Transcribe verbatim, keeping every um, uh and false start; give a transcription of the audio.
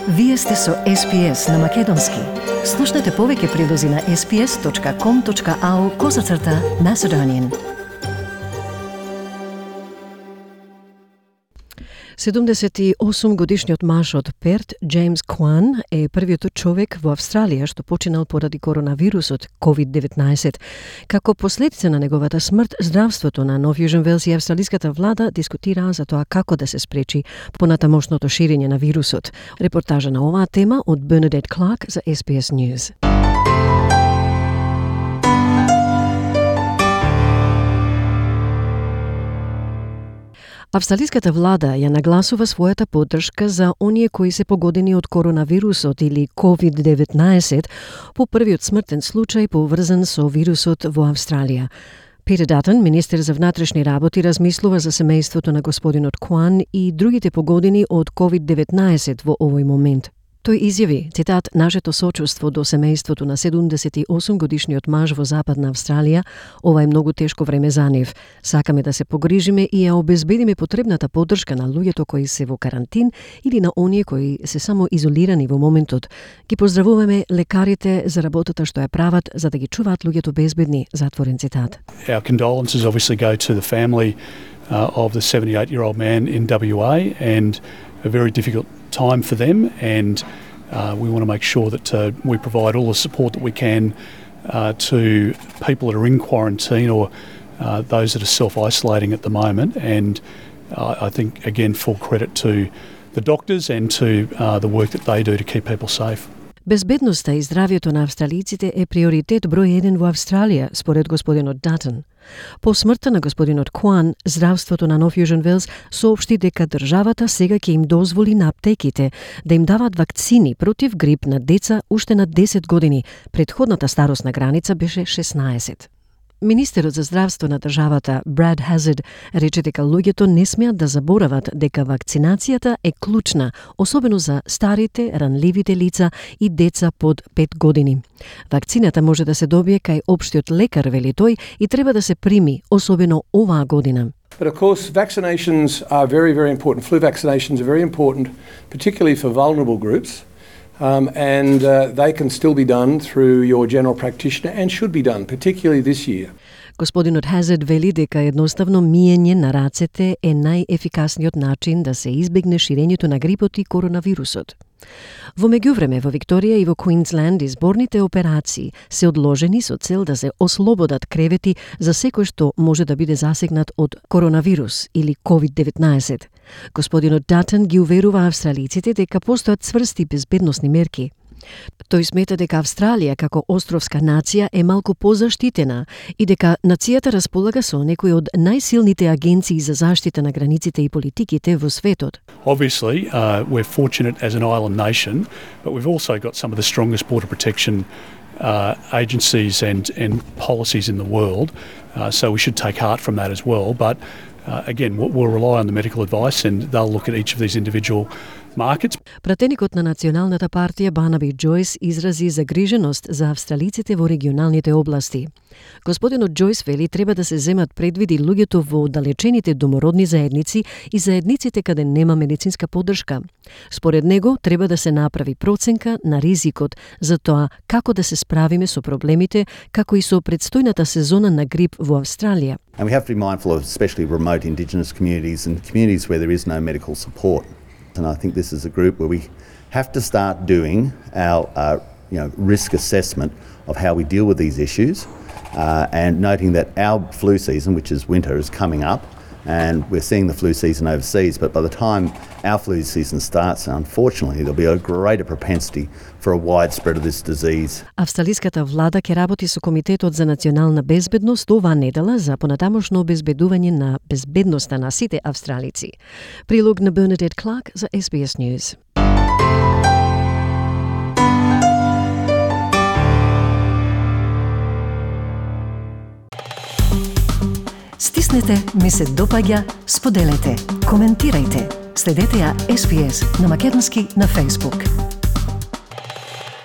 Вие сте со Ес Би Ес на Македонски. Слушнете повеќе прилози на ес би ес точка ком точка ау козацрта Macedonian. седумдесет и осум годишниот маж од Перт, Джеймс Куан, е првиот човек во Австралија што починал поради коронавирусот ковид деветнаесет. Како последица на неговата смрт, здравството на Нов Јужен Велс и австралиската влада дискутираа за тоа како да се спречи понатамошното ширење на вирусот. Репортажа на оваа тема од Бернадет Кларк за Ес Би Ес News. Австралиската влада ја нагласува својата поддршка за оние кои се погодени од коронавирусот или ковид деветнаесет по првиот смртен случај поврзан со вирусот во Австралија. Питер Датон, министер за внатрешни работи, размислува за семејството на господинот Куан и другите погодени од ковид деветнаесет во овој момент. Тој изјави, цитат, нашето сочувство до семејството на седумдесет и осум годишниот маж во Западна Австралија, ова е многу тешко време за нив. Сакаме да се погрижиме и ја обезбедиме потребната поддршка на луѓето кои се во карантин или на оние кои се само изолирани во моментот. Ги поздравуваме лекарите за работата што ја прават за да ги чуваат луѓето безбедни, затворен цитат. Our condolences obviously go to the family uh, of the seventy-eight-year-old man in W A and a very difficult time for them, and uh, we want to make sure that uh, we provide all the support that we can uh, to people that are in quarantine or uh, those that are self-isolating at the moment, and uh, I think again full credit to the doctors and to uh, the work that they do to keep people safe. Безбедноста и здравјето на австралиците е приоритет број еден во Австралија, според господинот Датон. По смртта на господинот Куан, здравството на Нов Јужен Велс соопшти дека државата сега ќе им дозволи на аптеките да им дават вакцини против грип на деца уште на десет години. Предходната старосна граница беше шеснаесет. Министерот за здравство на државата Брад Хазард рече дека луѓето не смеат да заборават дека вакцинацијата е клучна, особено за старите, ранливите лица и деца под пет години. Вакцината може да се добие кај општиот лекар, вели тој, и треба да се прими, особено оваа година. But of course, vaccinations are very, very important. Flu vaccinations are very important, particularly for vulnerable groups. Um, and uh, they can still be done through your general practitioner and should be done, particularly this year. Господинот Хазард вели дека едноставно миење на рацете е најефикасниот начин да се избегне ширењето на грипот и коронавирусот. Во меѓувреме, во Викторија и во Квинсленд изборните операции се одложени со цел да се ослободат кревети за секој што може да биде засегнат од коронавирус или ковид деветнаесет. Господинот Датон ги уверува австралиците дека постојат цврсти безбедносни мерки. Тој смета дека Австралија како островска нација е малку позаштитена и дека нацијата располага со некои од најсилните агенции за заштита на границите и политиките во светот. Obviously, uh, we're fortunate as an island nation, but we've also got some of the strongest border protection uh, agencies and, and policies in the world, uh, so we should take heart from that as well. But uh, again, we'll, we'll rely on the medical advice and they'll look at each of these individual markets. Пратеникот на Националната партија Барнаби Џојс изрази загриженост за австралиците во регионалните области. Господинот Џојс вели треба да се земат предвиди луѓето во оддалечените домородни заедници и заедниците каде нема медицинска поддршка. Според него треба да се направи проценка на ризикот за тоа како да се справиме со проблемите, како и со предстојната сезона на грип во Австралија. And we have to be mindful of especially remote Indigenous communities and communities where there is no medical support. And I think this is a group where we have to start doing our uh, you know, risk assessment of how we deal with these issues uh, and noting that our flu season, which is winter, is coming up and we're seeing the flu season overseas, but by the time our flu season starts, unfortunately, there'll be a greater propensity for a wide spread of this disease. Австралиската влада ќе работи со Комитетот за национална безбедност оваа недела за понатамошно обезбедување на безбедноста на сите австралици. Прилог на Бернадет Кларк за Ес Би Ес News. Стиснете, ми се допаѓа, споделете, коментирајте. Следете ја Ес Би Ес на македонски на Facebook.